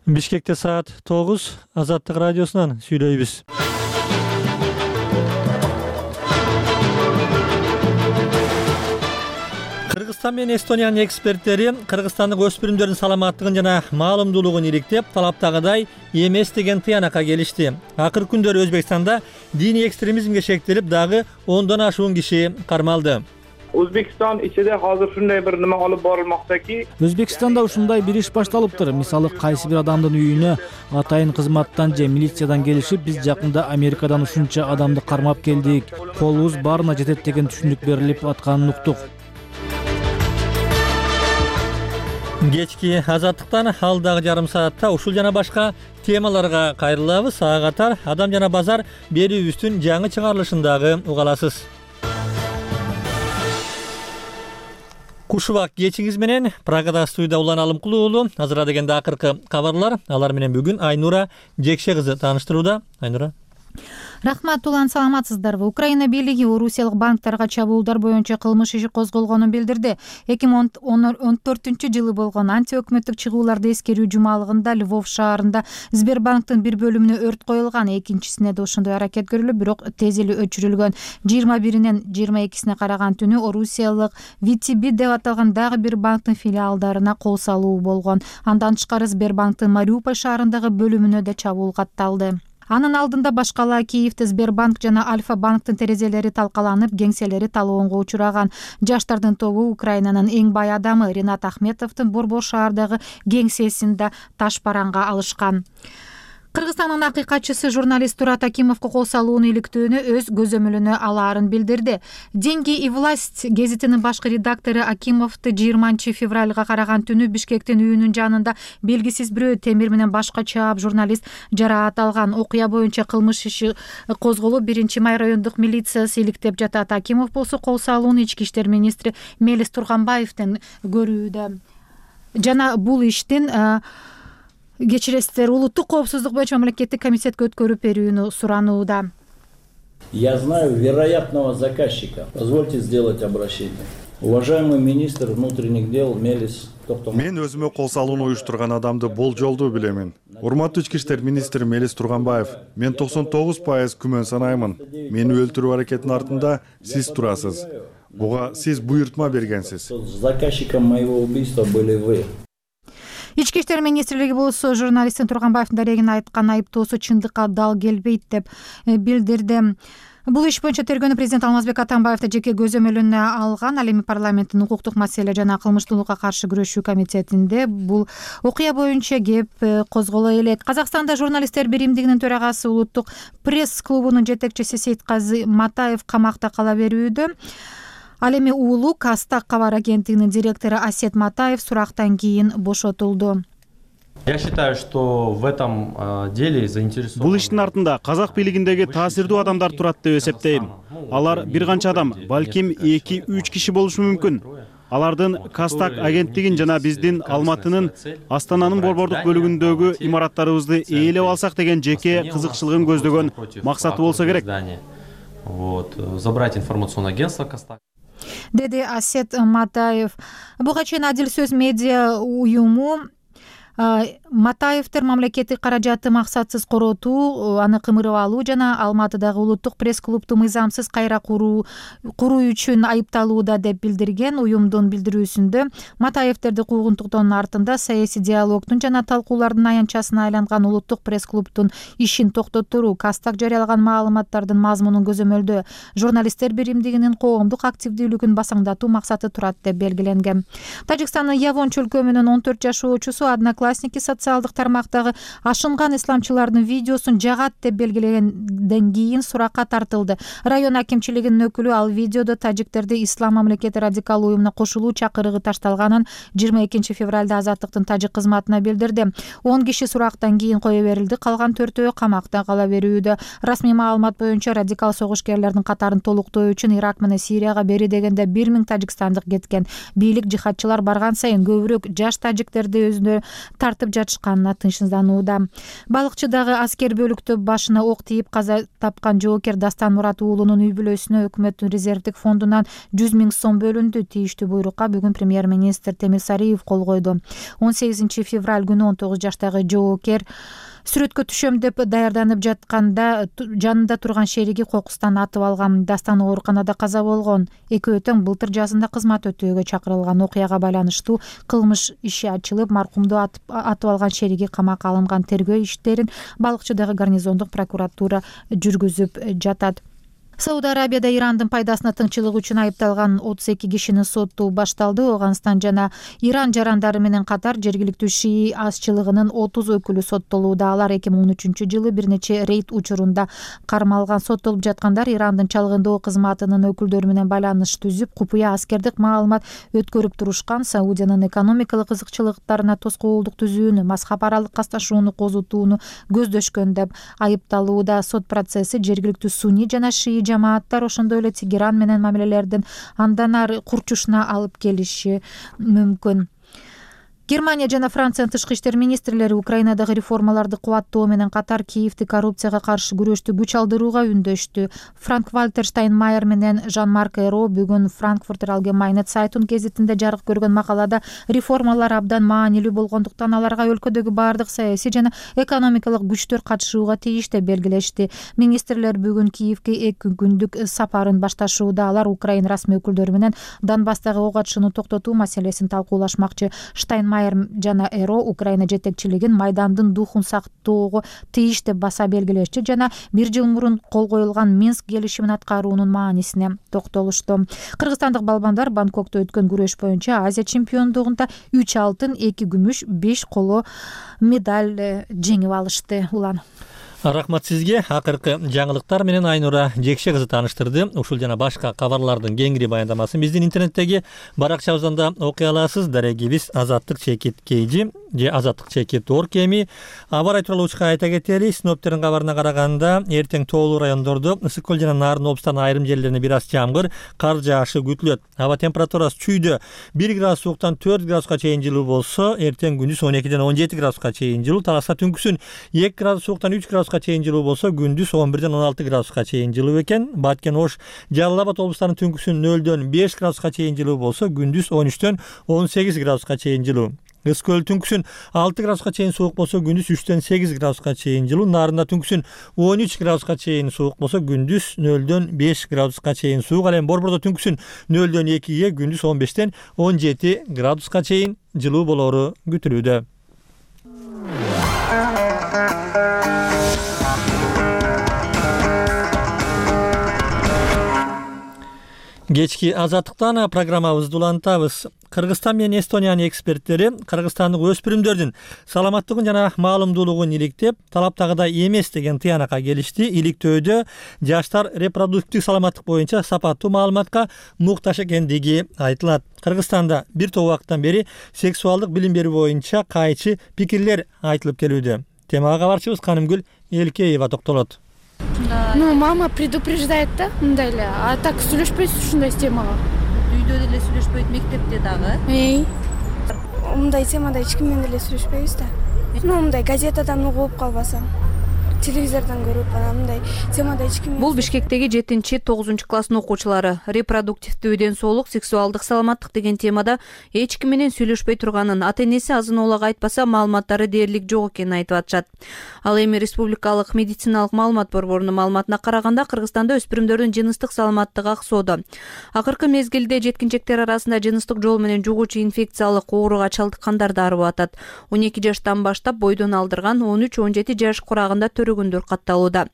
Бишкекте саат 9 Азаттык радиосунан сүйлөйбүз. Кыргызстан менен Эстониянын эксперттери Кыргызстандык өспүрүмдөрдүн саламаттыгын жана маалымдуулугун иликтеп, талаптагыдай эмес деген тыянакка келишти. Акыркы күндөрү Өзбекстанда диний экстремизмге шектелип, дагы 10дон ашуун киши кармалды. Өзбекстан ичинде азыр ушундай бир нема алып барылмакчаки. Өзбекстанда ушундай бир иш башталыптыр. Мисалы, кайсы бир адамдын үйүнө атайын кызматтан же милициядан келишип, биз жакында Америкадан ушунча адамды кармап келдик, колубуз баарына жетет деген түшүндүк берилип атканын уктук. Кечки Азаттыктан алдагы жарым саатта ушул жана башка темаларга кайрылабыз. Ага катар Адам жана базар берүүбүздүн жаңы чыгарылышындагы угаласыз. Кушубак кечиңиз менен Прагада студияда Улан Алымкулуу уулу. Азыр дегенде акыркы кабарлар. Алар менен бүгүн Айнура Жекше кызы тааныштырууда. Айнура. Рахмат, Улан, саламатсыздарбы? Украина бийлиги орусиялык банктарга чабуулдар боюнча кылмыш иши козголгонун билдирди. 2014-жылы болгон антиөкмөттүк чыгууларды эскерүү жумалыгында Львов шаарында Сбербанктын бир бөлүмүнө өрт коюлган, экинчисине да ошондой аракет көрүлүп, бирок тез эле өчүрүлгөн. 21-нен 22-сине караган түнү орусиялык VTB деп аталган дагы бир банктын филиалдарына кол салуу болгон. Андан тышкары Сбербанктын Мариуполь шаарындагы бөлүмүнө да чабуул катталды. Анын алдында башкала Киевде Сбербанк жана Альфа банктын терезелери талкаланып, кеңселери талоонго учураган. Жаштардын тобу Украинанын эң бай адамы Ринат Ахметовдун Борбор шаардагы кеңсесин да таш бараңга алышкан. Кыргызстандын акыйкатчысы журналист Турат Акимовго кол салууну иликтөөнү өз көзөмөлүнө алаарын билдирди. «Деньги и власть» гезитинин башкы редактору Акимовду 20 февралга караган түнү Бишкектин үйүнүн жанында белгисиз бирөө темир менен башка чаап журналист жараат алган. Окуя боюнча кылмыш иши козголуп, 1-Май райондук милициясы иликтеп жатат. Акимов болсо кол салууну Ички иштер министри Мелис Турганбаевден көрүүдө. Жана бул иштин кечиресиздер, улуттук коопсуздук боюнча мамлекеттик комитетке өткөрүп берүүнү суранууда. Я знаю вероятного заказчика. Позвольте сделать обращение. Уважаемый министр внутренних дел Мелис Токтомаев. Мен өзүмө кол салууну уюштурган адамды болжолдуу билемин. Урматтуу Ички иштер министри Мелис Турганбаев, мен 99% күмөн санаймын. Мени өлтүрүү аракетинин артында сиз турасыз. Буга сиз буйртма бергенсиз. Заказчиком моего убийства были вы. Ички иштер министрлиги болсо журналисттин Турганбаевдин дарегине айткан айыптоосу чындыкка дал келбейт деп билдирди. Бул иш боюнча тергөөнү президент Алмазбек Атамбаев да жеке көзөмөлүнө алган. Ал эми парламенттин укуктук маселе жана кылмыштуулукка каршы күрөшүү комитетинде бул окуя боюнча кеп козголо элек. Казакстанда журналисттер биримдигинин төрагасы, улуттук пресс клубунун жетекчиси Сейтказы Матаев камакта кала берүүдө. Ал эми уулу Кастак кабар агенттигинин директору Асет Матаев сурактан кийин бошотулду. Я считаю, что в этом деле заинтересованы. Бул иштин артында казак бийлигиндеги таасирдүү адамдар турат деп эсептейм. Алар бир канча адам, балким 2-3 киши болушу мүмкүн. Алардын Кастак агенттигин жана биздин Алматынын, Астананын борбордук бөлүгүндөгү имараттарыбызды ээлеп алсак деген жеке кызыкчылыгын көздөгөн максаты болсо керек. Забрать информационное агентство Кастак. Деди Асет Матаев. Буга чейин Адил сөз медиа уюму Матаевдер мамлекеттик каражатты максатсыз коротуу, аны кымырып алуу жана Алматыдагы улуттук пресс клубду мыйзамсыз кайра куруу үчүн айыпталууда деп билдирген. Уюмдун билдирүүсүндө Матаевдерди куугунтуктоонун артында саясий диалогдун жана талкуулардын аянтчасына айланган улуттук пресс клубдун ишин токтотуруу, Кастак жарыялаган маалыматтардын мазмунун көзөмөлдөө, журналисттер биримдигинин коомдук активдүүлүгүн басаңдатуу максаты турат деп белгиленген. Тажикстандын Явон чөлкөмүнүн 14 жашоочусу Одноклассники социалдык тармактагы ашынган исламчылардын видеосун жагат деп белгилегенден кийин суракка тартылды. Район акимчилигинин өкүлү ал видеодо тажиктерди ислам мамлекети радикал уюмуна кошулуу чакырыгы ташталганын 22 февралда Азаттыктын тажик кызматына билдирди. 10 киши сурактан кийин кое берилди, калган 4-өө камакта кала берүүдө. Расмий маалымат боюнча радикал согушкерлердин катарын толуктоо үчүн Ирак менен Сирияга бери дегенде 1000 тажикстандык кеткен. Бийлик жихадчылар барган сайын көбүрөөк жаш тажиктерди өзүнө тартып жатышканына тынчсызданууда. Балыкчы дагы аскер бөлүктө башына ок тийип каза тапкан жоокер Дастан Мурат уулунун үй бүлөсүнө өкмөттүн резервдик фондунан 100 000 сом бөлүндү. Тийиштүү буйрукка бүгүн премьер-министр Темир Сариев кол койду. 18 февраль күнү 19 жаштагы жоокер сүрөткө түшөм деп даярданып жатканда жанында турган шериги кокустан атып алган. Дастан ооруканада каза болгон. Экөө тең былтыр жазында кызмат өтөөгө чакырылган. Окуяга байланыштуу кылмыш иши ачылып, маркумду атып алган шериги камакка алынган. Тергөө иштерин Балыкчыдагы гарнизондук прокуратура жүргүзүп жатат. Сауд Арабияда Ирандын пайдасына тыңчылык үчүн айыпталган 32 кишинин сотту башталды. Афганистан жана Иран жарандары менен катар жергиликтүү шии азчылыгынын 30 өкүлү соттолууда. Алар 2013-жылы бир нече рейд учурунда кармалган. Соттолуп жаткандар Ирандын чалгындоо кызматынын өкүлдөрү менен байланыш түзүп, купуя аскердик маалымат өткөрүп турушкан, Саудиянын экономикалык кызыкчылыктарына тоскоолдук түзүүнү, мазхаб аралык касташууну козутууну көздөшкөн деп айыпталууда. Сот процесси жергиликтүү сунни жана шии жамааттар, ошондой эле Тегеран менен мамилелердин андан ары курчушуна алып келиши мүмкүн. Германия жана Франциянын тышкы иштер министрлери Украинадагы реформаларды кубаттоо менен катар Киевди коррупцияга каршы күрөштү күч алдырууга үндөштү. Франк-Вальтер Штайнмайер менен Жан-Марк Эро бүгүн Frankfurter Allgemeine Zeitung гезитинде жарык көргөн макалада реформалар абдан маанилүү болгондуктан аларга өлкөдөгү баардык саясий жана экономикалык күчтөр катышууга тийиш деп белгилешти. Министрлер бүгүн Киевге 2 күндүк сапарын башташууда. Алар Украина расмий өкүлдөрү менен Донбасстагы ок атышууну токтотуу маселесин талкуулашмакчы. Штайнмайер жана Эро Украина жетекчилигин майдандын духун сактоого тийиш деп баса белгилешти жана 1 жыл мурун кол коюлган Минск келишимин аткаруунун маанисине токтолушту. Кыргызстандык балбандар Бангкокто өткөн күрөш боюнча Азия чемпиондугунда 3 алтын, 2 күмүш, 5 коло медаль жеңип алышты. Улан. Рахмат сизге. Акыркы жаңылыктар менен Айнура Жекше кызы тааныштырды. Ушул жана башка кабарлардын кеңири баяндамасын биздин интернеттеги баракчабыздан да окуй аласыз. Дарегибиз Азаттык Чекит Кейжи же Азаттык Чекит Оркеми. Аба ырай тууралуучка айта кетели. Синоптиктердин кабарына караганда эртең тоолуу райондордо ысык көл жана Нарын облустарынын айрым жерлерине бир аз жамгыр, кар жаашы күтүлөт. Аба температурасы чүйдө 1 градус сууктан 4 градуска чейин жылуу болсо, эртең күндүз 12-ден 17 градуска чейин жылуу, Таласта түнкүсүн 2 градус сууктан 3 градуска чейин жылуу болсо, күндүз 11-ден 16 градуска чейин жылуу экен. Баткен, Ош, Жалал Абад облустарынын түнкүсүн 0-дөн 5 градуска чейин жылуу болсо, күндүз 13-дөн 18 градуска чейин жылуу. Ысык көл түнкүсүн 6 градуска чейин суук болсо, күндүз 3-дөн 8 градуска чейин жылуу. Нарында түнкүсүн 13 градуска чейин суук болсо, күндүз 0-дөн 5 градуска чейин суук. Ал эми Борбордо түнкүсүн 0-дөн 2-ге, күндүз 15-ден 17 градуска чейин жылуу болору күтүлүүдө. Кечки азаттыктан программабызды улантабыз. Кыргызстан менен Эстониянын эксперттери кыргызстандык өспүрүмдөрдүн саламаттыгын жана маалымдуулугун иликтеп, талаптагыдай эмес деген тыянакка келишти. Иликтөөдө жаштар репродуктивдик саламаттык боюнча сапаттуу маалыматка муктаж экендиги айтылат. Кыргызстанда бир топ убакыттан бери сексуалдык билим берүү боюнча кайчы пикирлер айтылып келүүдө. Темага кабарчыбыз Канымгүл Элкеева токтолот. Ну, мама предупреждает да, мындай эле. А так сүйлөшпөйсүз ушундай темага. Үйдө деле сүйлөшпөйт, мектепте дагы. Мындай темада эч ким менен деле сүйлөшпөйбүз да. Ну, мындай газетадан угуп калбасам, телевизордон көрүп, мындай темада эч ким. Бул Бишкектеги 7-9 класстын окуучулары репродуктивдүү ден соолук, сексуалдык саламаттык деген темада эч ким менен сүйлөшпөй турганын, ата-энеси азын-оолак айтпаса маалыматтары дээрлик жок экенин айтып атышат. Ал эми Республикалык медициналык маалымат борборунун маалыматына караганда, Кыргызстанда өспүрүмдөрдүн жыныстык саламаттыгы аксоодо. Акыркы мезгилде жеткинчектер арасында жыныстык жол менен жугуучу инфекциялык ооруга чалдыккандар да арып атат. 12 жаштан баштап бойдон алдырган, 13-17 жаш курагында көргөндөр катталууда.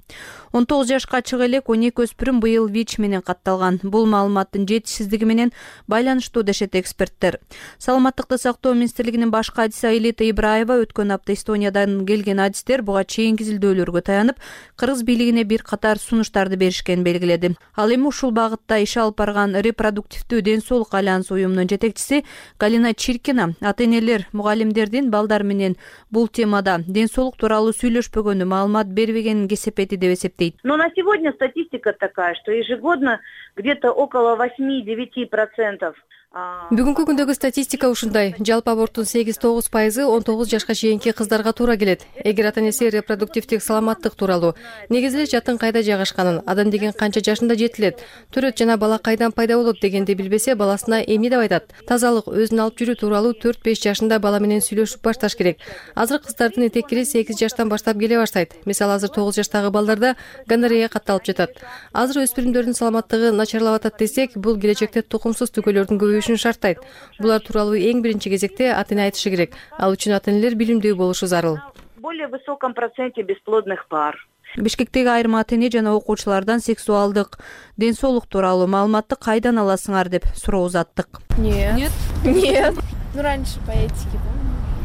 19 жашка чыга элек 12 өспүрүм быйыл ВИЧ менен катталган. Бул маалыматтын жетишсиздиги менен байланыштуу дешет эксперттер. Саламаттыкты сактоо министрлигинин баш кадиси Аилета Ибраева өткөн апта Эстониядан келген адистер буга чейинки изилдөөлөргө таянып, кыргыз бийлигине бир катар сунуштарды беришкенин белгиледи. Ал эми ушул багытта иш алып барган репродуктивдүү ден соолук альянсы уюмунун жетекчиси Галина Чиркина ата-энелер, мугалимдердин балдар менен бул темада ден соолук тууралуу сүйлөшпөгөнү, маалымат бербегенин кесепети деп эсептейт. Но на сегодня статистика такая, что ежегодно где-то около 8-9% Бүгүнкү күндөгү статистика ушундай. Жалпы аборттун 8-9% 19 жашка чейинки кыздарга туура келет. Эгер ата-энеси репродуктивдик саламаттык тууралуу, негизи эле жатын кайда жайгашканын, адам деген канча жашында жетилет, төрөт жана бала кайдан пайда болот дегенди билбесе, баласына эмне деп айтат. Тазалык, өзүн алып жүрүү тууралуу 4-5 жашында бала менен сүйлөшүп башташ керек. Азыр кыздардын этеккири 8 жаштан баштап келе баштайт. Мисалы азыр 9 жаштагы балдарда гонорея катталып жатат. Азыр өспүрүмдөрдүн саламаттыгы начарлап атат десек, бул келечекте тукумсуз түгөлөрдүн көбөйүшүн шарттайт. Булар тууралуу эң биринчи кезекте ата-эне айтышы керек. Ал үчүн ата-энелер билимдүү болушу зарыл. Более высоком проценте бесплодных пар. Бишкектеги айрым ата-эне жана окуучулардан сексуалдык, ден соолук тууралуу маалыматты кайдан аласыңар деп суроо узаттык. Нет. Ну раньше по этике.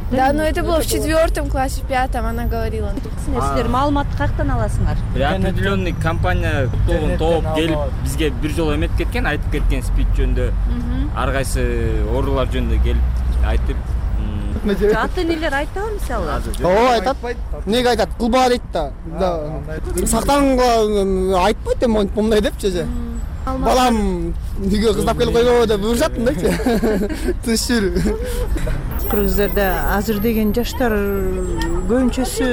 Да, но это было в 4 классе, в 5 она говорила. Силер маалыматты каяктан аласыңар? Определенный компания топ келип бизге бир жолу эметип кеткен, айтып кеткен спид жөнүндө. Ар кайсы оорулар жөнүндө келип айтып. Ата-энелер айтабы мисалы? Ооба, айтат. Неге айтат? Кылба дейт да. Сактанга айтпайт эми мындай депчи. Балам үйгө кыздап келип койбобу деп буйрушат мындайчы. Тыныч жүрүү. Кыргыздарда азыр деген жаштар көбүнчөсү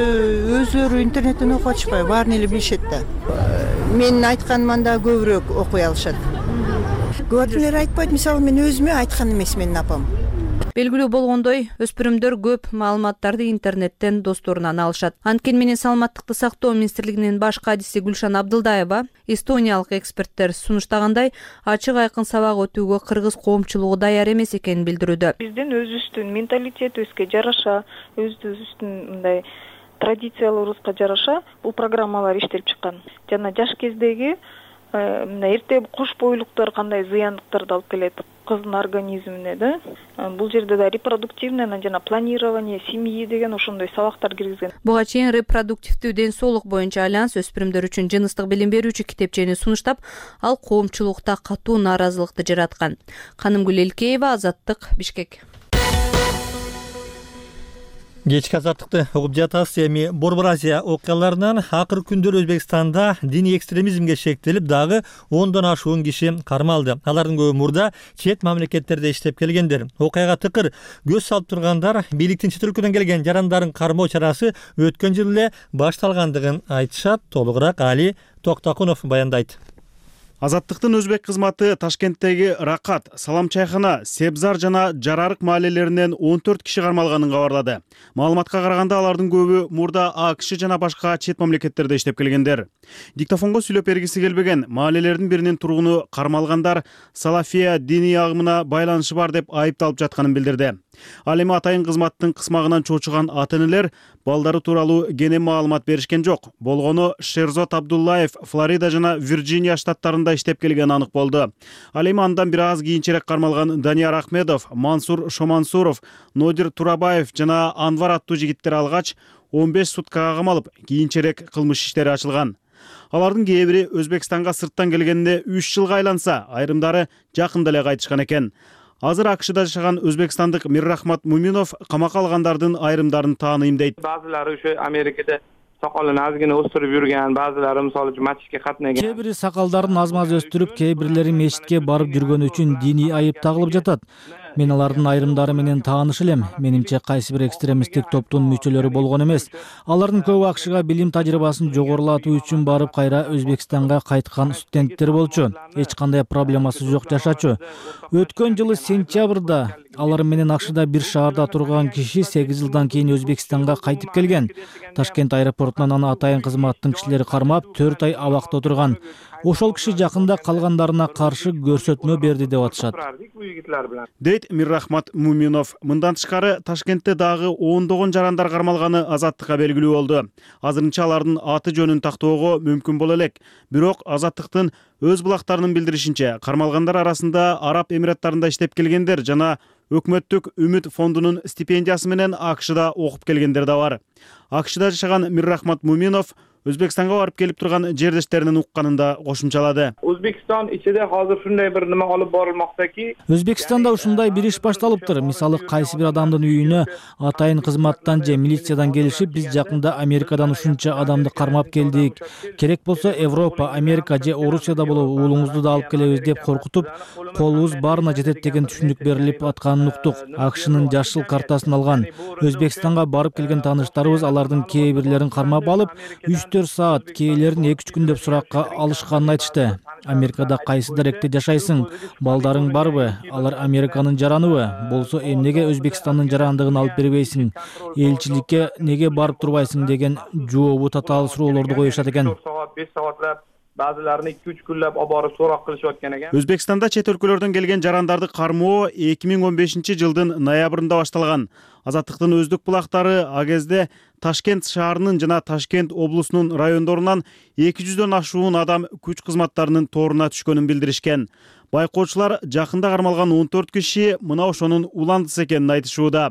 өздөрү интернеттен окуп атышпайбы, баарын эле билишет да. Менин айтканыман да көбүрөөк окуй алышат. Көбүнчөлөр айтпайт, мисалы мен өзүмө айткан эмес менин апам. Белгилүү болгондой, өспүрүмдөр көп маалыматтарды интернеттен досторунан алышат. Анткени менен саламаттыкты сактоо министрлигинин баш кадиси Гүлшан Абдылдаева эстониялык эксперттер сунуштагандай ачык айкын сабак өтүүгө кыргыз коомчулугу даяр эмес экенин билдирүүдө. Биздин өзүбүздүн менталитетибизге жараша, өзүбүздүн мындай традицияларыбызга жараша бул программалар иштелип чыккан. Жана жаш кездеги мына эрте кош бойлуктар кандай зыяндыктарды алып келет кыздын организмине да. Бул жерде да репродуктивное жана планирование семьи деген ошондой сабактар киргизген. Буга чейин репродуктивдүү ден соолук боюнча альянс өспүрүмдөр үчүн жыныстык билим берүүчү китепчени сунуштап, ал коомчулукта катуу нааразылыкты жараткан. Канымгүл Элкеева, Азаттык, Бишкек. Кечки азаттыкты угуп жатасыз. Эми Борбор Азия окуяларынан акыркы күндөр Өзбекстанда диний экстремизмге шектелип, дагы 10дон ашуун киши кармалды. Алардын көбү мурда чет мамлекеттерде иштеп келгендер. Окуяга тыкыр көз салып тургандар бийликтин чет өлкөдөн келген жарандарын кармоо чарасы өткөн жылы эле башталгандыгын айтышат. Толугураак Али Токтакунов баяндайт. Азаттыктын өзбек кызматы Ташкенттеги Ракат, Салам чайхана, Себзар жана Жарарык маалелеринен 14 киши кармалганын кабарлады. Маалыматка караганда алардын көбү мурда АКШ жана башка чет мамлекеттерде иштеп келгендер. Диктофонго сүйлөп бергиси келбеген маалелердин биринин тургуну кармалгандар Салафия диний агымына байланышы бар деп айыпталып жатканын билдирди. Ал эми атайын кызматтын кысмагынан чочуган ата-энелер балдары тууралуу кенен маалымат беришкен жок. Болгону Шерзот Абдуллаев Флорида жана Вирджиния штаттарында иштеп келген анык болду. Ал эми андан бир аз кийинчерээк кармалган Данияр Ахмедов, Мансур Шомансуров, Нодир Турабаев жана Анвар аттуу жигиттер алгач 15 суткага камалып, кийинчерээк кылмыш иштери ачылган. Алардын кээ бири Өзбекстанга сырттан келгенде 3 жылга айланса, айрымдары жакында эле кайтышкан экен. Азыр АКШда жашаган өзбекстандык Миррахмат Муминов камакка алгандардын айрымдарын тааныйм дейт. Баазылары ошо Америкада сакалын азгина өстүрүп жүргөн, баазылары мисалы мачитке катнаган. Кээ бири сакалдарын аз-маз өстүрүп, кээ бирлери мечитке барып жүргөн үчүн диний айып тагылып жатат. Мен алардын айрымдары менен тааныш элем. Менимче кайсы бир экстремисттик топтун мүчөлөрү болгон эмес. Алардын көбү АКШга билим тажрыйбасын жогорулатуу үчүн барып кайра Өзбекстанга кайткан студенттер болчу. Эч кандай проблемасы жок жашачу. Өткөн жылы сентябрда алар менен АКШда бир шаарда турган киши 8 жылдан кийин Өзбекстанга кайтып келген. Ташкент аэропортунан аны атайын кызматтын кишилери кармап 4 ай абакта отурган. Ошол киши жакында калгандарына каршы көрсөтмө берди деп атышат. Дейт Миррахмат Муминов. Мындан тышкары Ташкентте дагы 10догон жарандар кармалганы Азаттыкка белгилүү болду. Азырынча алардын аты жөнүн тактоого мүмкүн боло элек. Бирок Азаттыктын өз булактарынын билдиришинче, кармалгандар арасында Араб Эмираттарында иштеп келгендер жана өкмөттүк Үмүт фондунун стипендиясы менен АКШда окуп келгендер да бар. АКШда жашаган Миррахмат Муминов Өзбекстанга барып келип турган жердештеринин укканын да кошумчалады. O'zbekiston ichida hozir shunday bir nima olib borilmoqdaki, Өзбекстанда ушундай бир иш башталыптыр. Мисалы, кайсы бир адамдын үйүнө атайын кызматтан же милициядан келишип, биз жакында Америкадан ушунча адамды кармап келдик. Керек болсо Европа, Америка же Орусияда болуп уулуңузду да алып келебиз деп коркутуп, колубуз баарына жетет деген түшүнүк берилип атканын уктук. АКШнын жашыл картасын алган. Өзбекстанга барып келген тааныштарыбыз алардын кээ бирлерин кармап алып, 3-4 саат, кээлерин 2-3 күн деп суракка алышканын айтышты. Америкада кайсы даректе жашайсың? Балдарың барбы? Алар Американын жараныбы? Болсо эмнеге Өзбекстандын жарандыгын алып бербейсиң? Элчиликке неге барып турбайсың деген жообу татаал суроолорду коюшат экен. 5 soatlab ba'zilarini 2-3 kunlab olib borib so'roq qilishayotgan ekan. Өзбекстанда чет өлкөлөрдөн келген жарандарды кармоо 2015-жылдын ноябрында башталган. Азаттыктын өздүк булактары а кезде Ташкент шаарынын жана Ташкент облусунун райондорунан 200дөн ашуун адам күч кызматтарынын торуна түшкөнүн билдиришкен. Байкоочулар жакында кармалган 14 киши мына ошонун уландысы экенин айтышууда.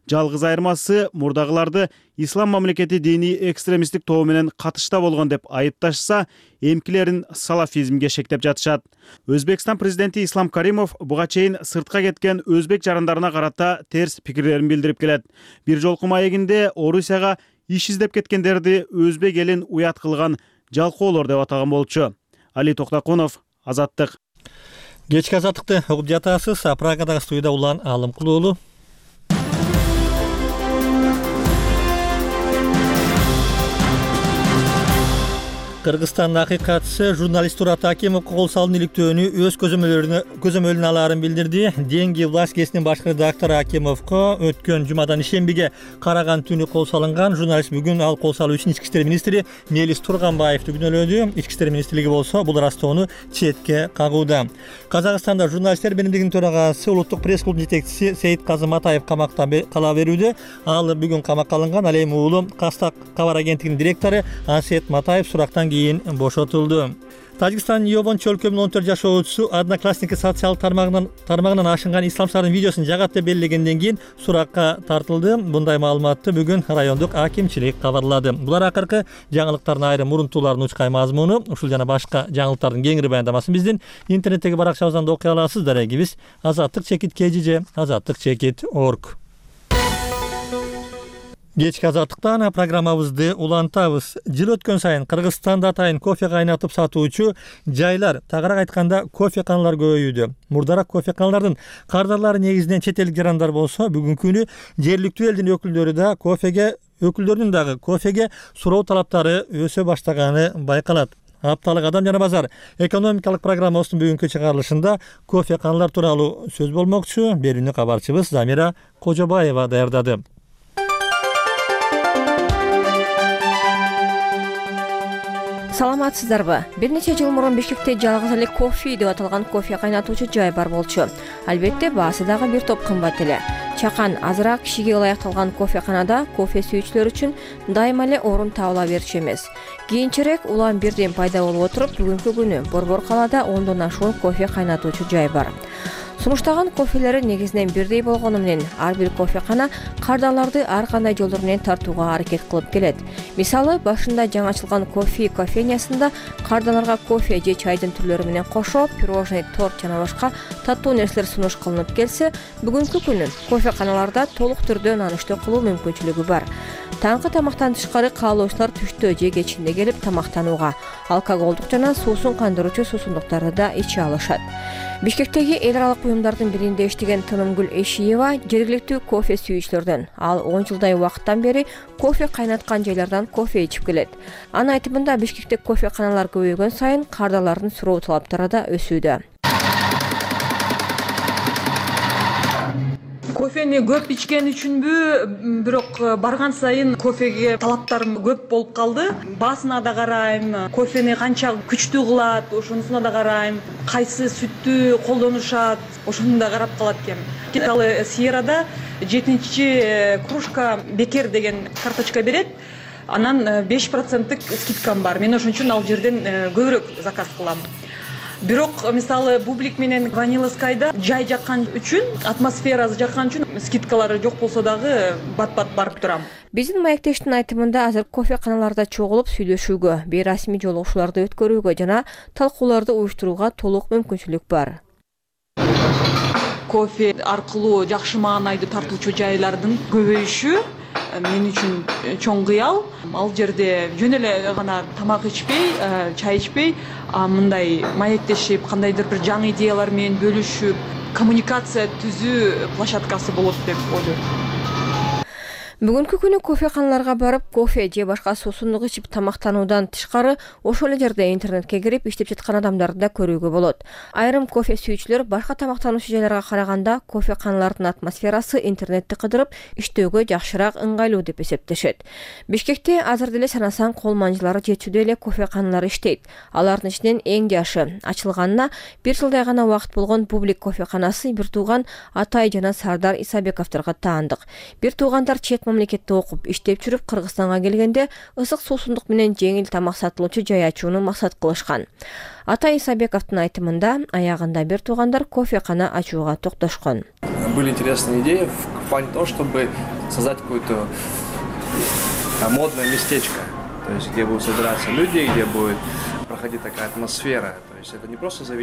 Жалгыз айырмасы мурдагыларды Ислам мамлекети диний экстремисттик тобу менен катышта болгон деп айыпташса, эмкилерин салафизмге шектеп жатышат. Өзбекстан президенти Ислам Каримов буга чейин сыртка кеткен өзбек жарандарына карата терс пикирлерин билдирип келет. Бир жолку маегинде Орусияга иш издеп кеткендерди өзбек элин уят кылган жалкоолор деп атаган болчу. Али Токтакунов, Азаттык. Кечки азаттыкты угуп жатасыз. Прагадагы студияда Улан Алымкулуу уулу. Кыргызстандын акыйкатчысы журналист Турат Акимов кол салуу иликтөөнү өз көзөмөлүнө алаарын билдирди. Деньги власть гезитинин башкы редактору Акимовго өткөн жумадан ишембиге караган түнү кол салынган. Журналист бүгүн ал кол салуу үчүн Ички иштер министри Мелис Турганбаевди күнөөлөдү. Ички иштер министрлиги болсо бул ырастоону четке кагууда. Казакстанда журналисттер биримдигинин төрагасы улуттук пресс-клуб жетекчиси Сейитказы Матаев камакта кала берүүдө. Ал бүгүн камакка алынган. Ал эми уулу Кастак кабар агенттигинин директору Ансет Матаев сурактан кийин бошотулду. Тажикстандын Йовон чөлкөмүнүн 14 жашоочусу Одноклассники социал тармагынан ашынган исламчылардын видеосун жагат деп белгилегенден кийин суракка тартылды. Мындай маалыматты бүгүн райондук акимчилик кабарлады. Булар акыркы жаңылыктардын айрым мурунтууларынын учкай мазмуну. Ушул жана башка жаңылыктардын кеңири баяндамасын биздин интернеттеги баракчабыздан да окуй аласыз. Дарегибиз azattik.kg, azattik.org. Кечки азаттыктан программабызды улантабыз. Жыл өткөн сайын Кыргызстанда атайын кофе кайнатып сатуучу жайлар, тагыраак айтканда кофеканалар көбөйүүдө. Мурдараак кофеканалардын кардарлары негизинен чет элдик жарандар болсо, бүгүнкү күнү жергиликтүү элдин өкүлдөрүнүн дагы кофеге суроо талаптары өсө баштаганы байкалат. Апталык Адам жана базар экономикалык программасынын бүгүнкү чыгарылышында кофеканалар тууралуу сөз болмокчу. Берүүнү кабарчыбыз Замира Кожобаева даярдады. Саламатсыздарбы? Бир нече жыл мурун Бишкекте жалгыз эле кофе деп аталган кофе кайнатуучу жай бар болчу. Албетте баасы дагы бир топ кымбат эле. Чакан азыраак кишиге ылайыкталган кофеканада кофе сүйүүчүлөр үчүн дайыма эле орун табыла берчү эмес. Кийинчерээк улам бирден пайда болуп отуруп, бүгүнкү күнү Борбор калаада 10дон ашуун кофе кайнатуучу жай бар. Сунуштаган кофелери негизинен бирдей болгону менен ар бир кофекана кардарларды ар кандай жолдор менен тартууга аракет кылып келет. Мисалы, башында жаңы ачылган кофе кофейнясында кардарларга кофе же чайдын түрлөрү менен кошо пирожный, торт жана башка таттуу нерселер сунуш кылынып келсе, бүгүнкү күнү кофеканаларда толук түрдө нан-иштөө кылуу мүмкүнчүлүгү бар. Таңкы тамактан тышкары каалоочулар түштө же кечинде келип тамактанууга, алкоголдук жана суусун кандыруучу суусундуктарды да иче алышат. Бишкектеги эл аралык уюмдардын биринде иштеген Тынымгүл Эшиева жергиликтүү кофе сүйүүчүлөрдөн. Ал 10 жылдай убакыттан бери кофе кайнаткан жайлардан кофе ичип келет. Анын айтымында Бишкекте кофеканалар көбөйгөн сайын кардарлардын суроо талаптары да өсүүдө. Кофени көп ичкен үчүнбү, бирок барган сайын кофеге талаптарым көп болуп калды. Баасына да карайм, кофени канча күчтүү кылат, ошонусуна да карайм. Кайсы сүттү колдонушат, ошону да карап калат экем. Мисалы, Сьеррада 7-чи кружка бекер деген карточка берет. Анан 5%-тык скидкам бар. Мен ошон үчүн ал жерден көбүрөөк заказ кылам. Бирок мисалы Бублик менен Vanilla Sky'да жай жаккан үчүн, атмосферасы жаккан үчүн скидкалары жок болсо дагы бат-бат барып турам. Биздин маектештин айтымында азыр кофеканаларда чогулуп сүйлөшүүгө, бейрасмий жолугушууларды өткөрүүгө жана талкууларды уюштурууга толук мүмкүнчүлүк бар. Кофе аркылуу жакшы маанайды тартуучу жайлардын көбөйүшү мен үчүн чоң кыял. Ал жерде жөн эле гана тамак ичпей, чай ичпей, мындай маектешип, кандайдыр бир жаңы идеялар менен бөлүшүп, коммуникация түзүү площадкасы болот деп ойлойм. Бүгүнкү күнү кофеканаларга барып, кофе же башка суусундук ичип тамактануудан тышкары, ошол эле жерде интернетке кирип иштеп жаткан адамдарды да көрүүгө болот. Айрым кофе сүйүүчүлөр башка тамактануучу жайларга караганда кофеканалардын атмосферасы интернетти кыдырып иштөөгө жакшыраак ыңгайлуу деп эсептешет. Бишкекте азыр деле санасаң кол манжылары жетүүдөй эле кофеканалар иштейт. Алардын ичинен эң жашы ачылганына 1 жылдай гана убакыт болгон Бублик кофеканасы бир тууган Атай жана Сардар Исабековдорго таандык. Бир туугандар чет мамлекетте окуп, иштеп жүрүп Кыргызстанга келгенде ысык суусундук менен жеңил тамак сатылуучу жай ачууну максат кылышкан. Атай Исабековдун айтымында, аягында бир туугандар кофекана ачууга токтошкон. Были интересные идеи в плане того, чтобы создать какое-то модное местечко, то есть где будут собираться люди, где будет проходить такая атмосфера.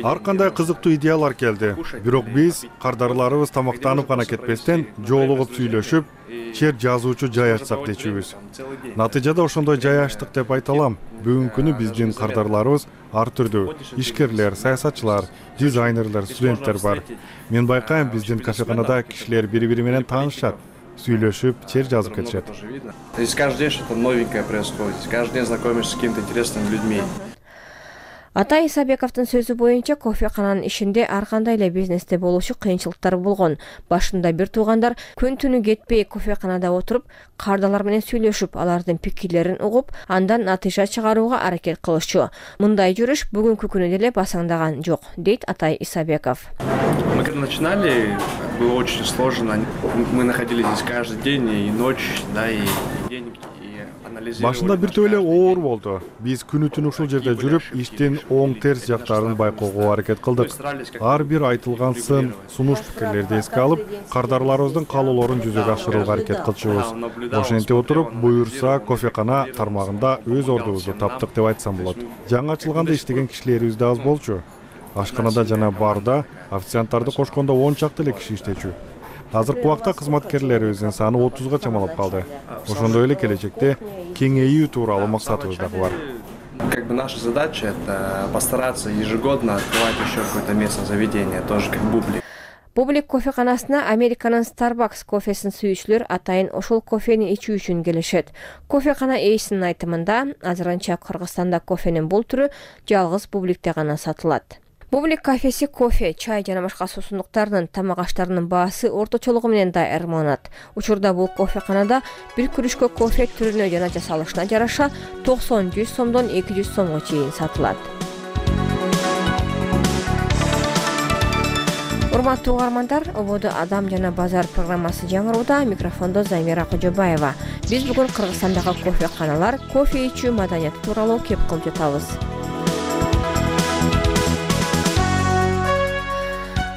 Ар кандай кызыктуу идеялар келди. Бирок биз кардарларыбыз тамактанып гана кетпестен жолугуп сүйлөшүп, чер жазуучу жай ачсак дечүбүз. Натыйжада ошондой жай ачтык деп айта алам. Бүгүнкү күнү биздин кардарларыбыз ар түрдүү ишкерлер, саясатчылар, дизайнерлер, студенттер бар. Мен байкайм, биздин кафеканада кишилер бири-бири менен таанышат, сүйлөшүп, чер жазып кетишет. Здесь каждый день что-то новенькое происходит. Каждый день знакомишься с какими-то интересными людьми. Атай Исабековдун сөзү боюнча, кофекананын ишинде ар кандай эле бизнесте болуучу кыйынчылыктар болгон. Башында бир туугандар күн-түнү кетпей кофеканада отуруп, кардалар менен сүйлөшүп, алардын пикирлерин угуп, андан натыйжа чыгарууга аракет кылышчу. Мындай жүрүш бүгүнкү күнү деле басаңдаган жок, дейт Атай Исабеков. Мы когда начинали, было очень сложно. Мы находились здесь каждый день, и ночь, да, и день. Башында бир эле оор болду. Биз күнү-түн ушул жерде жүрүп, иштин оң терс жактарын байкоого аракет кылдык. Ар бир айтылган сын, сунуш пикирлерди эске алып, кардарларыбыздын каалоолорун жүзөгө ашырууга аракет кылчубуз. Ошентип отуруп, буюрса кофекана тармагында өз ордубузду таптык деп айтсам болот. Жаңы ачылганда иштеген кишилерибиз да аз болчу. Ашканада жана барда официанттарды кошкондо 10 чакты эле киши иштечү. Азыркы убакта кызматкерлерибиздин саны 30га чамалап калды. Ошондой эле келечекте кеңейүү тууралуу максатыбыз дагы бар. Как бы наша задача это постараться ежегодно открывать еще какое-то местное заведение, тоже как Бублик. Бублик кофеканасына Американын Starbucks кофесин сүйүүчүлөр атайын ошол кофени ичүү үчүн келишет. Кофекана ээсинин айтымында, азырынча Кыргызстанда кофенин бул түрү жалгыз Бубликте гана сатылат. Бублик кафеси кофе, чай жана башка суусундуктардын тамак аштарынын баасы орточолугу менен да ырманат. Учурда бул кофеканада бир күрүшкө кофе түрүнө жана жасалышына жараша 90-100 сомдон 200 сомго чейин сатылат. Урматтуу угармандар, ободо Адам жана базар программасы жаңырууда, микрофондо Замира Кожобаева. Биз бүгүн Кыргызстандагы кофеканалар, кофе ичүү маданияты тууралуу кеп кылып жатабыз.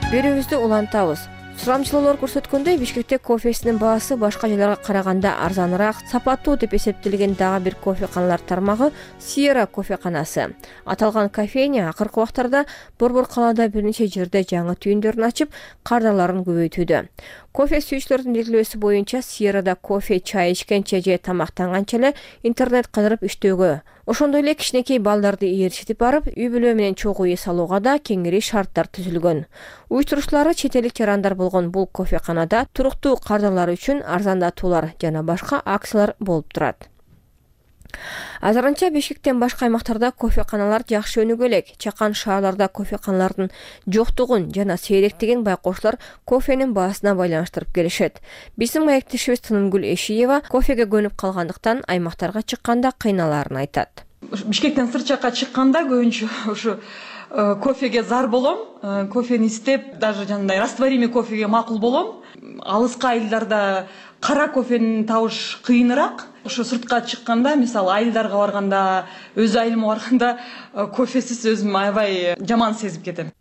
Берүүбүздү улантабыз. Сурамчылоолор көрсөткөндөй, Бишкекте кофесинин баасы башка жайларга караганда арзаныраак, сапаттуу деп эсептелген дагы бир кофеканалар тармагы Сиера кофеканасы. Аталган кофейня акыркы убактарда Борбор калаада бир нече жерде жаңы түйүндөрүн ачып, кардарларын көбөйтүүдө. Кофе сүйүүчүлөрдүн белгилөөсү боюнча Сиерада кофе, чай ичкенче же тамактанганча эле интернет кыдырып иштөөгө, ошондой эле кичинекей балдарды ээрчитип барып, үй бүлө менен чогуу эс алууга да кеңири шарттар түзүлгөн. Уюштуруучулары чет элик жарандар болгон бул кофеканада туруктуу кардарлар үчүн арзандатуулар жана башка акциялар болуп турат. Азырынча Бишкектен башка аймактарда кофеканалар жакшы өнүгө элек. Чакан шаарларда кофеканалардын жоктугун жана сейректигин байкоочулар кофенин баасына байланыштырып келишет. Биздин маектешибиз Тынымгүл Эшиева кофеге көнүп калгандыктан аймактарга чыкканда кыйналаарын айтат. Бишкектен сырт жакка чыкканда көбүнчө ушу кофеге зар болом, кофени истеп, даже жанагындай растворимый кофеге макул болом. Алыска айылдарда кара кофени табыш кыйыныраак. Ошо сыртка чыкканда, мисалы айылдарга барганда, өз айылыма барганда кофесиз өзүм аябай жаман сезип кетем.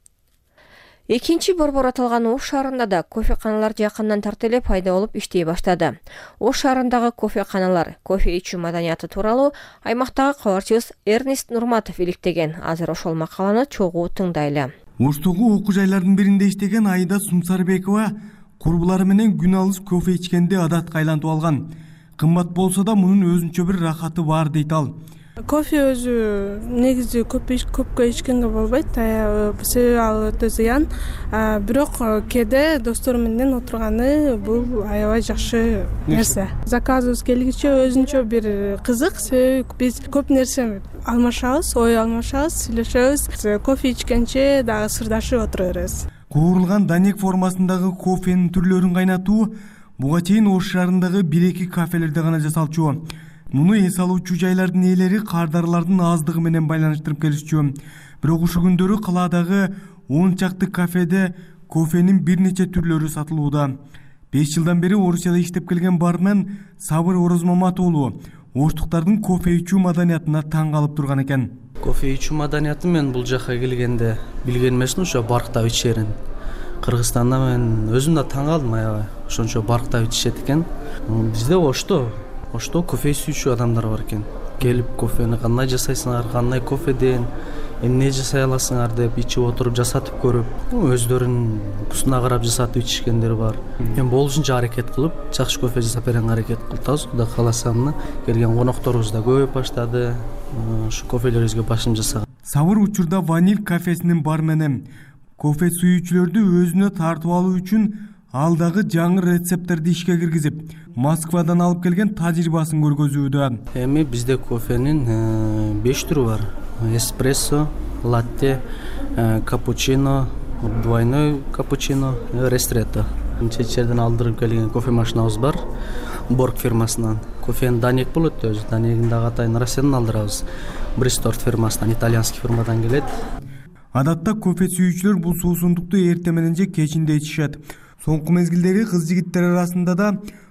Экинчи борбор аталган Ош шаарында да кофеканалар жакындан тарта эле пайда болуп иштей баштады. Ош шаарындагы кофеканалар, кофе ичүү маданияты тууралуу аймактагы кабарчыбыз Эрнест Нурматов иликтеген. Азыр ошол макаланы чогуу тыңдайлы. Оштогу окуу жайлардын биринде иштеген Айда Сумсарбекова курбулары менен күн алыс кофе ичкенди адатка айлантып алган. Кымбат болсо да мунун өзүнчө бир рахаты бар дейт ал. Кофе өзү негизи көпкө ичкенге болбойт, себеби ал өтө зыян. Бирок кээде достор менен отурганы бул аябай жакшы нерсе. Заказыбыз келгиче өзүнчө бир кызык, себеби биз көп нерсе алмашабыз, ой алмашабыз, сүйлөшөбүз. Кофе ичкенче дагы сырдашып отура беребиз. Куурулган данек формасындагы кофенин түрлөрүн кайнатуу буга чейин Ош шаарындагы 1-2 кафелерде гана жасалчу. Муну эс алуучу жайлардын ээлери кардарлардын аздыгы менен байланыштырып келишчү. Бирок ушул күндөрү калаадагы 10 чакты кафеде кофенин бир нече түрлөрү сатылууда. 5 жылдан бери Орусияда иштеп келген бармен Сабыр Орозмамат уулу оштуктардын кофе ичүү маданиятына таң калып турган экен. Кофе ичүү маданиятын мен бул жакка келгенде билген эмесмин, ошо барктап ичерин. Кыргызстанда мен өзүм да таң калдым аябай. Ошончо барктап ичишет экен. Бизде Ошто кофе сүйүүчү адамдар бар экен. Келип кофени кандай жасайсыңар, кандай кофеден эмне жасай аласыңар деп ичип отуруп жасатып көрүп, өздөрүнүн вкусуна карап жасатып ичишкендер бар. Мен болушунча аракет кылып, жакшы кофе жасап беренге аракет кылабыз. Кудай кааласа келген конокторубуз да көбөйүп баштады. Ушу кофелерибизге башым жасаган. Сабыр учурда Ваниль кафесинин бармени. Кофе сүйүүчүлөрдү өзүнө тартып алуу үчүн ал дагы жаңы рецепттерди ишке киргизип, Москвадан алып келген тажрыйбасын көргөзүүдө. Эми бизде кофенин 5 түрү бар. Эспрессо, латте, капучино, двойной капучино, ристретто. Чечерден алдырып келген кофе машинабыз бар. Борг фирмасынан. Кофенин данек болот өзү. Данегин дагы атайын Россиядан алдырабыз. Бристорт фирмасынан, итальянский фирмадан келет. Адатта кофе сүйүүчүлөр бул суусундукту эртең менен же кечинде ичишет. Соңку мезгилдеги кыз-жигиттер арасында да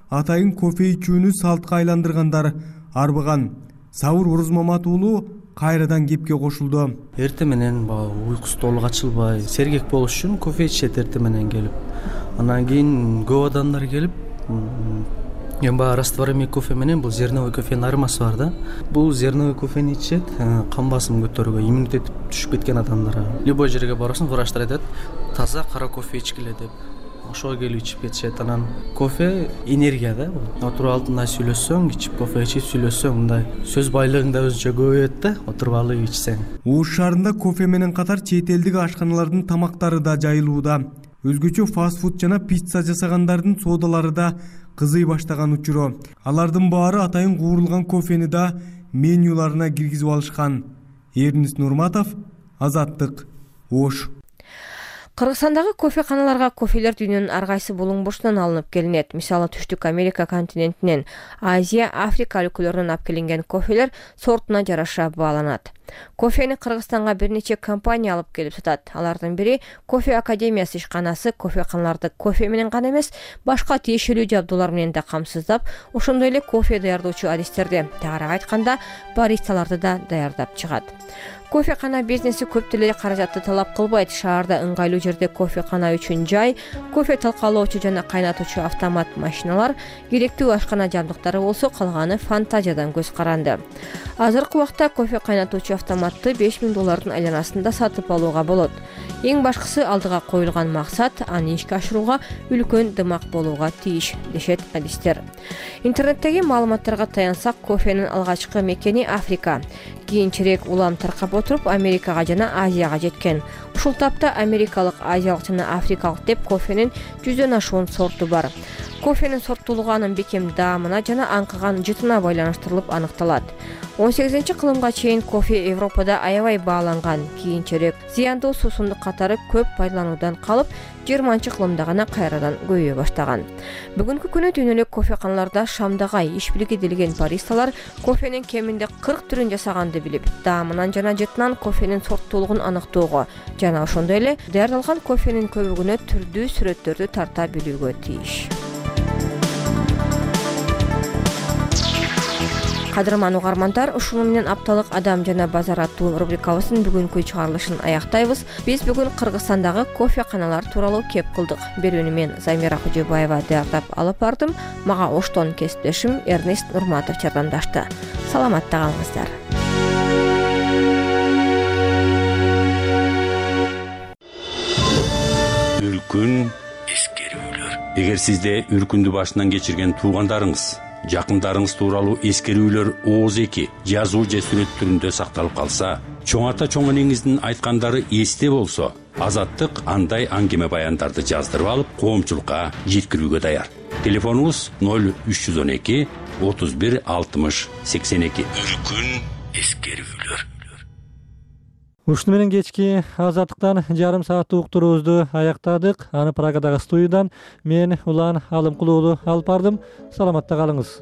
атайын кофе ичүүнү салтка айландыргандар арбыган. Сабыр Орозмамат уулу кайрадан кепке кошулду. Эртең менен уйкусу толук ачылбай, сергек болуш үчүн кофе ичет эртең менен келип. Анан кийин көп адамдар келип, эми растворимый кофе менен бул зерновый кофенин айырмасы бар да. Бул зерновый кофени ичет, кан басымын көтөрүүгө, иммунитет түшүп кеткен адамдар. Любой жерге барасың, врачтар айтат, таза кара кофе ичкиле деп. Ошого келип ичип кетишет. Анан кофе энергия да. Отуруп алдында сүйлөшсөң, ичип кофе ичип сүйлөшсөң, мындай сөз байлыгың да өзүнчө көбөйөт да, отуруп алып ичсең. Ош шаарында кофе менен катар чет элдик ашканалардын тамактары да жайылууда. Өзгөчө фастфуд жана пицца жасагандардын соодалары да кызый баштаган учуру. Алардын баары атайын куурулган кофени да менюларына киргизип алышкан. Эрнест Нурматов, Азаттык, Ош. Кыргызстандагы кофеканаларга кофелер дүйнөнүн ар кайсы булуң бурчунан алынып келинет. Мисалы Түштүк Америка континентинен, Азия, Африка өлкөлөрүнөн алып келинген кофелер сортуна жараша бааланат. Кофени Кыргызстанга бир нече компания алып келип сатат. Алардын бири Кофе Академиясы ишканасы кофеканаларды кофе менен гана эмес, башка тиешелүү жабдуулар менен да камсыздап, ошондой эле кофе даярдоочу адистерди, тагыраак айтканда, баристаларды да даярдап чыгат. Кофекана бизнеси көп деле каражатты талап кылбайт. Шаарда ыңгайлуу жерде кофекана үчүн жай, кофе талкалоочу жана кайнатуучу автомат машиналар, керектүү ашкана жабдыктары болсо, калганы фантазиядан көз каранды. Азыркы убакта кофе кайнатуучу автоматты $5000 айланасында сатып алууга болот. Эң башкысы алдыга коюлган максат аны ишке ашырууга үлкөн дымак болууга тийиш, дешет адистер. Интернеттеги маалыматтарга таянсак, кофенин алгачкы мекени Африка. Кийинчерээк улам таркап отуруп Америкага жана Азияга жеткен. Ушул тапта америкалык, азиялык жана африкалык деп кофенин 100дөн ашуун сорту бар. Кофенин сорттуулугу анын бекем даамына жана аңкыган жытына байланыштырылып аныкталат. 18-кылымга чейин кофе Европада аябай бааланган, кийинчерээк зыяндуу суусундук катары көп пайдалануудан калып, 20-кылымда гана кайрадан көбөйө баштаган. Бүгүнкү күнү дүйнөлүк кофеканаларда шамдагай иш билиги делген баристалар кофенин кеминде 40 түрүн жасаганды билип, даамынан жана жытынан кофенин сорттуулугун аныктоого жана ошондой эле даярдалган кофенин көбүгүнө түрдүү сүрөттөрдү тарта билүүгө тийиш. Кадырман угармандар, ушуну менен апталык Адам жана базар аттуу рубрикабыздын бүгүнкү чыгарылышын аяктайбыз. Биз бүгүн Кыргызстандагы кофеканалар тууралуу кеп кылдык. Берүүнү мен Замира Кожобаева даярдап алып бардым. Мага оштон кесиптешим Эрнест Нурматов жардамдашты. Саламатта калыңыздар. Үркүн эскерүүлөр. Эгер сизде үркүндү башынан кечирген туугандарыңыз, жакындарыңыз тууралуу эскерүүлөр ооз эки жазуу же сүрөт түрүндө сакталып калса, чоң ата чоң энеңиздин айткандары эсте болсо, Азаттык андай аңгеме баяндарды жаздырып алып, коомчулукка жеткирүүгө даяр. Телефонубуз 0312 31 60 82. Үркүн эскерүүлөр. Ушуну менен кечки Азаттыктан жарым сааттык уктуруубузду аяктадык. Аны Прагадагы студиядан мен Улан Алымкулуу алып бардым. Саламатта калыңыз.